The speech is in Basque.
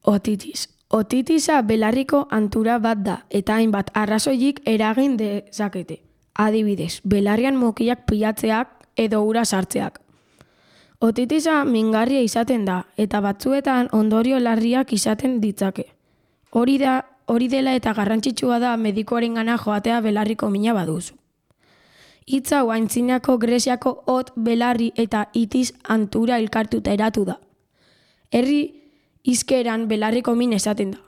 Otitis. Otitisa belarriko antura bat da eta hainbat arrazoirik eragin dezakete. Adibidez, belarrian mukiak pilatzeak edo ura sartzeak. Otitisa mingarria izaten da eta batzuetan ondorio larriak izaten ditzake. Hori dela eta garrantzitsua da medikuarengana joatea belarriko mina baduzu. Hitz hau antzinako Greziako hot, belarri eta itis antura elkartuta eratu da. Herri hizkeran belarriko min esaten da.